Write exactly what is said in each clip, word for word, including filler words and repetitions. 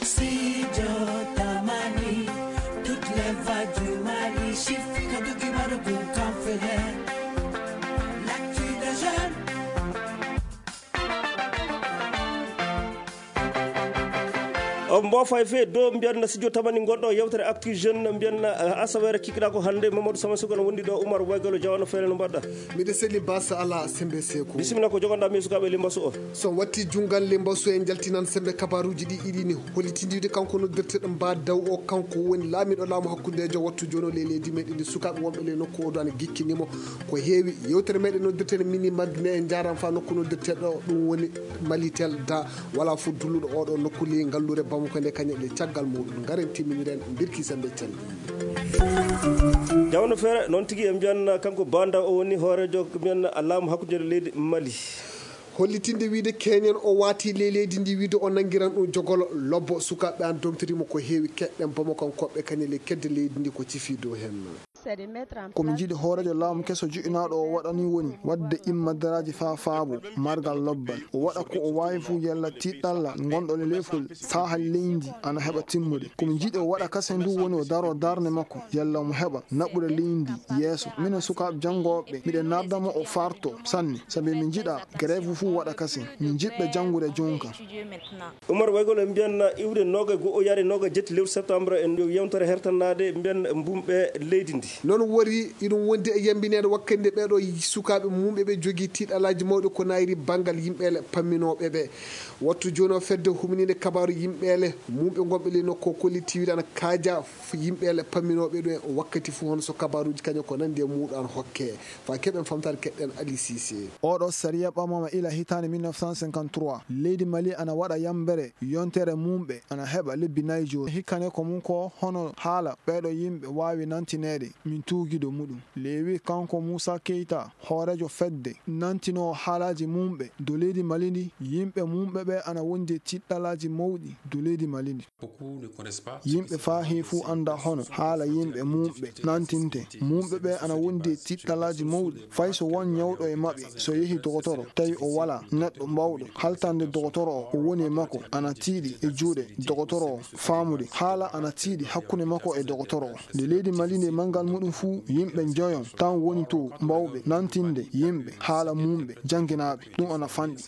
Studio Tamani, toutes les vagues du Mali, chiffre que tu vas de coup qu'en fait l'actu des jeunes. Mbo fay fe do mbiyanna studio Tamani gonɗo yewtere actu jeune mbiyanna asawere kikɗa ko hande Mamadou Sama Suko no wondi ɗo Oumar Waygalo jawano feere no mbaɗɗa miɗa selli basa ala sembe seko bisimilla ko jogonɗa mi sukaɓe limbasu o so watti jungal limbasu en jaltinan sembe kabaruji ɗi ɗiɗini hollitindiwde kanko noddirteɗo mba daw o kanko woni laamiɗo laamu hakkudejo wattu joni o ley leydi meɗen ndi sukaɓe wonɓe ley nokku oɗo ana gikkinimo ko heewi yewtere meɗen noddirteɗo mini magne en jaran fa nokku noddirteɗo ɗum woni malitel da wala fo dulluɗo oɗo nokku ley ngallure bamo ko nde kañe ɗe caggal muɗum garen timminiren birki sembe calli jawno feere noon tigui e mbiyanna kanko banda o woni hoorejo mbiyanna laamu hakkude leydi Mali hollitinde wiide keñen o wati ley leydi ndi wiide o nanguiran ɗum jogolo lobbo sukaɓe an domtirimo ko heewi keɗɗen bamo kan koɓɓe kañe ley kedde leydi ndi ko cifi dow hen komi jiiɗi hoorejo laamu keso juɗinaɗo o waɗani woni wadde immadaraji fa faabo margal lobbal o waɗa ko o wawi fuu yalla tiɗɗalla gonɗo le lefol saaha leydi ana heɓa timmude komi jiiɗi o waɗa kase ndu woni o daro darde makko yalla mo heɓa naɓɓude leydi yeeso minen sukaɓe janggoɓe miɗen nardamo o farto sanne saabi min jiiɗa grève fuu waɗa kase min jiɗɓe janggude jonka Oumar Waygalo en mbiyanna iwde noga go o yari noga jetti lewru septembre en yewtere hertanade mbiyanna mbumɓe leydi ndi noon wori iɗum wondi e yambinede wakkande ɓeɗo sukaɓe mumɓe ɓe jogui tiiɗalaji mawɗi ko nayri banggal yimɓele pamminoɓe ɓe wattu joni o fedde huminide kabaru yimɓele mumɓe gonɓe ley nokku kollitiwide ana kaaja yimɓele pamminoɓe ɗo e wakkati fo hono so kabaruji kañum ko nandi e muɗo an hokke fa keɓen famtade keɗɗen Ali Cissé oɗo saria ɓamama ila hitande mille neuf cent cinquante-trois leydi Mali ana waɗa yambere yontere mumɓe ana heɓa lebbi nayyi joni hikkane ko mum ko hono haala ɓeɗo yimɓe wawi nantinede min tuugido muɗum lewi kanko Moussa Keita hoorejo fedde nantino haalaji mumɓe do leydi Mali ndi yimɓe mumɓe ɓe ana wondi tiɗɗalaji mawɗi do leydi Mali ndi yimɓe fa he fuu anda hono haala yimɓe mumɓe nantinte mumɓe ɓe ana wondi tiɗɗalaji mawɗi fay so won ñawɗo e maɓɓe so yeehi dogotoro tawi o wala neɗɗo mbawɗo haltande dogotoro o o woni e makko ana tiiɗi e juuɗe dogotoro o faamude haala ana tiiɗi hakkunde makko e dogotoro o nde leydi Mali ndi mangal muɗum fuu yimɓe joyon tan woni to mbawɓe nantinde yimɓe haala mumɓe jangguinaɓe ɗum ana fanɗi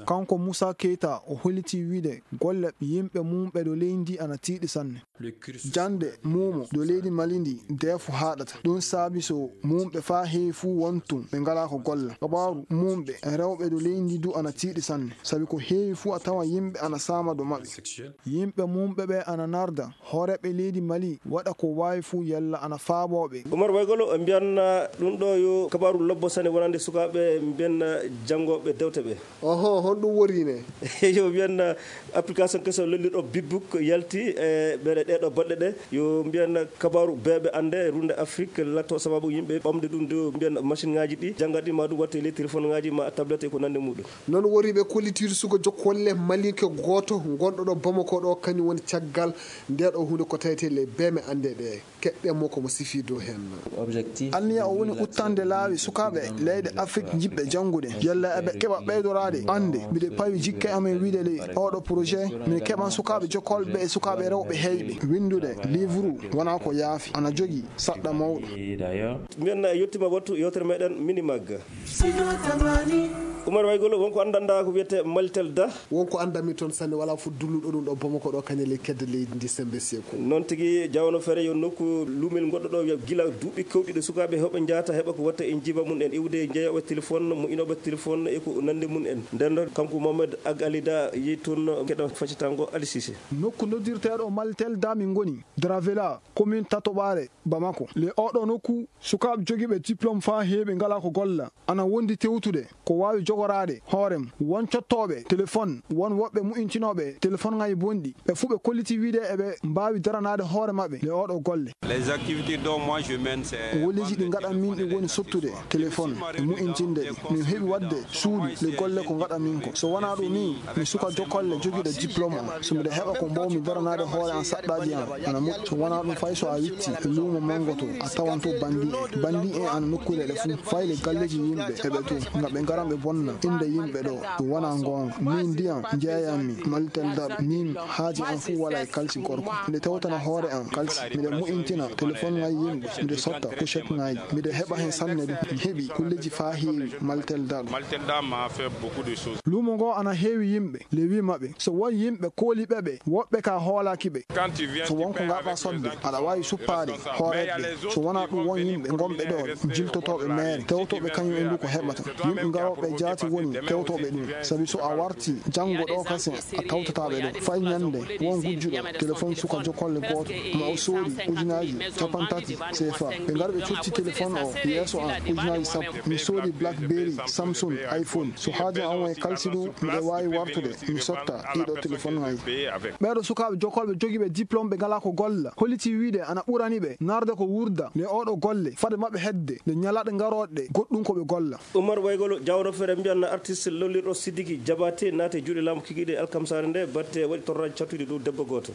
kanko Moussa Keita o holliti wiide golle yimɓe mumɓe do leydi ana tiiɗi sanne jande mumo do leydi Mali ndi defo haɗata ɗum saabi so mumɓe fa heewi fuu wontum ɓe ngala ko golla kabaru mumɓe rewɓe do leydi du ana tiiɗi sanne saabi ko heewi fuu a tawa yimɓe ana sama do maɓɓe yimɓe mumɓe ɓe ana narda hooreɓe leydi Mali waɗa ko wawi fuu yalla ana faaboɓe Oumar Waygalo e mbiyanna ɗum ɗo yo kabaru lobbo sane wonande sukaɓe mbiyanna janggoɓe dewte ɓe oho hon ɗum worine yo mbiyanna application keso lolliɗo bibbook yalti e ɓeɗe ɗeɗo baɗɗe ɗe yo mbiyanna kabaru beɓe ande runde Afrique latto sababu yimɓe ɓamde ɗum do mbiyanna machine ngaji ɗi janggat ɗi ma ɗum watte les téléphone ngaji ma tablette e ko nande muɗum noon woriɓe kollitiwde suko jokkolle malinke goto gonɗo ɗo Bamako ɗo kañum woni caggal ndeɗo hunde ko tawete le beme ande ɗe keɗɗenmo komo sifi dow hen anniya o woni uttande laawi sukaɓe leyɗe Afrique jiɓɓe janggude yalla eɓe keɓa ɓeydorade ande mbiɗe pawi jikke amen wiide ley oɗo projet min keɓan sukaɓe jokkolɓe e sukaɓe rewɓe heyɓe windude livre wona ko yaafi ana jogui saɗɗa mawɗo mbiyanna e yettima wattu yewtere meɗen mini magga Oumar Waygalo wonko andanda ko wiyete malitel da wonko andami toon sanne wala fo dulluɗo ɗum ɗo Bamako ɗo kañe ley kedde leydi ndi sembe seko noon tigui jawno feere yo nokku lumel goɗɗo ɗo gila duuɓi kewɗiɗo sukaɓe heɓe jaata heɓa ko watta en jiba mum en iwde jeeyoɓe téléphone mo inoɓe téléphone e ko nande mum en nden kanko Mohamed Ag Alida yi toon keɗa faccitango Ali Cissé nokku noddirteɗo malitel da min goni Dravela commune Tatoɓare Bamako le oɗo nokku sukaɓe joguiɓe diplôme fa heeɓe ngala ko golla ana wondi tewtude ko wawi jogorade hoorem won cottoɓe téléphone won woɓɓe mu'intinoɓe téléphone ngaji bonɗi ɓe fuu ɓe kolliti wiide eɓe mbawi daranade hoore mabɓe le oɗo golle les activités dont moi je mène c'est woliji ɗi gaɗan min ɗi woni sottude téléphone e mu'intinde ɗi min heeɓi wadde suuɗi le golle ko gaɗan min ko so wona ɗum ni mi suka jokkolle joguiɗo diplôme o so mbiɗa heɓa ko mbawmi daranade hoore an saɗɗaji an ana moƴƴi so wona ɗum fay so a witti e luumo mango to a tawan to bandi en bandi en ana nokkure ɗe fuu fay le galleji yimɓe eɓe to ngam ɓe garan ɓe bonna wonna inde yimɓe ɗo ɗum wona gonga. Min ndiyam jeeyanmi maltel daɗo, min haaji am fuu wala e kalsi gorko. Nde tewtana hoore am kalsi, miɗe mu'intina téléphone ŋaji yimɓe, miɗe sotta couchette ŋaji, miɗe heɓa hen sanne ɗum. Mi heɓi kulleji faa heewi maltel daɗo. Luumo ngo ana heewi yimɓe le wi maɓɓe so won yimɓe kooliɓe ɓe woɓɓe ka hoolakiɓe. So wonko ngaɗa sodde aɗa wawi suppaade hooreɓe. So wona ɗum won yimɓe gonɓe ɗo jiltotoɓe meere tewtoɓe kañum e ndu ko heɓata. Yimɓe garoɓe jaati woni tewtoɓe ɗum, sabi so a warti janngo ɗo kasi a tawtataɓe ɗo. Fay ñande won gujjuɗo téléphone suka jokkolle gooto ma o soodi ujunaji capan tati C F A. ɓe ngari ɓe cotti téléphone o yeeso an ujunaji sappo. Mi soodi blackberry, samsung, iphone. So haaji an won e kalsi ɗum miɗe wawi wartude mi sotta ɗiɗo téléphone ŋaji. ɓeɗo sukaɓe jokkolɓe jogiiɓe diplôme ɓe ngala ko golla holliti wiide ana ɓurani ɓe narde ko wurda nde oɗo golle fade maɓɓe hedde nde ñalaɗe garoɗe goɗɗum koɓe golla. Oumar Waygolo Diawno Fere mbiyanna artiste lollirɗo Sidiki Diabaté naate juuɗe laamu kikiɗe alkamsare nde batte waɗi torraji cattude dow debbo goto.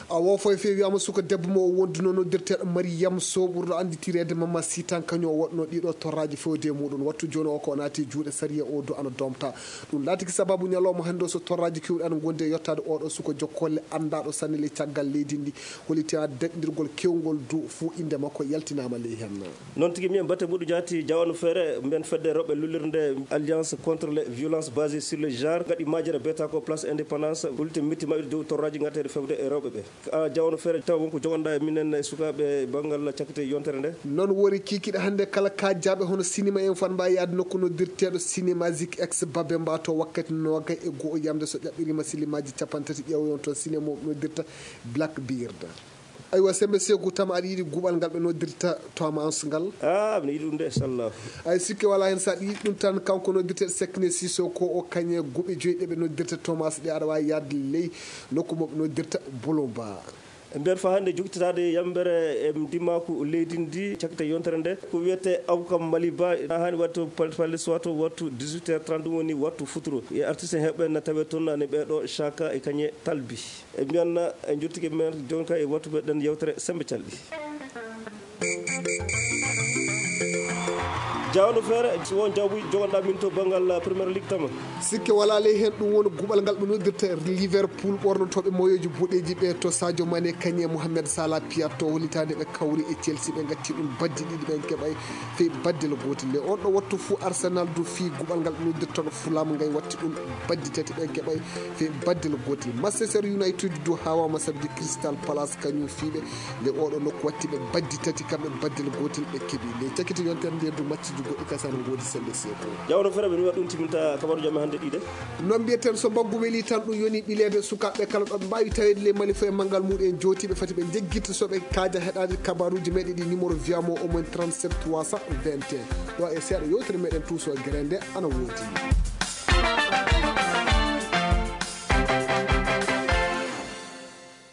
a wo foye fewi wiyama suka debbo mo wonduno noddirteɗo Mariame Sow ɓurɗo anditirede Mama Sitan kañum o waɗno ɗiɗo torraji fewde muɗum wattu joni o ko naati juuɗe sariya o do ana domta ɗum laatiki sababu ñalawma hande so torraji kewɗi ana gonde yettade oɗo suka jokkolle andaɗo sanne ley caggal leydi ndi holiti ha deɗɗirgol kewgol du fou inde makko yaltinama ley hen. Noon tigui mbiyen batte muɗo jaati Diawno Fere mbiyen fedde rewɓe lullirde alliance contre les violences basées sur le genre gaɗi majere beta ko place indépendance holti mitti mabɓe dow torraji gatteɗe fewde e rewɓe ɓe. a Diawno Fere taw wonko jogonɗa e minen e sukaɓe banggal cakkite yontere nde noon wori kikiɗe hande kala kajaɓe hono cinéma en fan mbawi yaade nokku noddirteɗo cinéma zik ex babe mbato wakkati nogay e goho yamde so ƴaɓɓirima silimaji capantati ƴewoyon toon cinéma noddirta Blackbeard. aywa sembe seko tam aɗa yiiɗi guɓal ngal ɓe noddirta Thomas ngal a mi yiɗi ɗum de inchallah ay sikke wala hen sa yiiɗi ɗum tan kanko noddirteɗo Sekne Siso ko o kañe guɓe joyyi ɗeɓe noddirta Thomas ɗe aɗa wawi yaade ley nokku moɓe noddirta Bolomba. e nder fa hande jogititade yambere e dimaku leydi ndi cakkite yontere nde ko wiyete Abou Maliba hani wattu palle sowato wattu dix-huit heures trente woni wattu futuro e artiste heɓɓe na tawe toon ne ɓeɗo Chaka e kañe Talbi e mbiyanna e jurtiki men joni ka e wattu ɓeɗen yewtere sembe calɗi. Diawno Fere so won jawbu jogonɗa min to banggal Premier League tama sikke wala ley hen ɗum woni guɓal ngal ɓe noddirta Liverpool ɓornotoɓe moyoji boɗeji ɓe to Sadio Mané kañe Mohamed Salah Piat to hollitade ɓe kawri e Chelsea ɓe gatti ɗum baddi ɗiɗi ɓen keɓay fewi baddel gotel le on ɗo wattu fou Arsenal do fi guɓal ngal ɓe noddirta Fulham ngay watti ɗum baddi tati ɓen keɓay fewi baddel gotel. Manchester United do hawama sabdi Crystal Palace kañum fiɓe le oɗo nokku watti ɓe baddi tati kamɓe baddel gotel ɓe keeɓi le cakkiti yontere nde du match goɗɗi kasano godi sembe seko Diawno Fere ɓe ɗum timinta kabaru jamme hande ɗiɗe non mbiyeten so mbaggu weeli tan ɗum yoni ɓilede sukaɓe kala ɗo mbawi tawede le malifa e manggal muɗum jotiɓe fati ɓe jeggita soɓe kaaja heɗade kabaruji meɗe ɗi numéro wiyamo au moins trente-sept trois cent vingt et un ɗo e seeɗa yewtere meɗen tuuso e guerende ana woodi.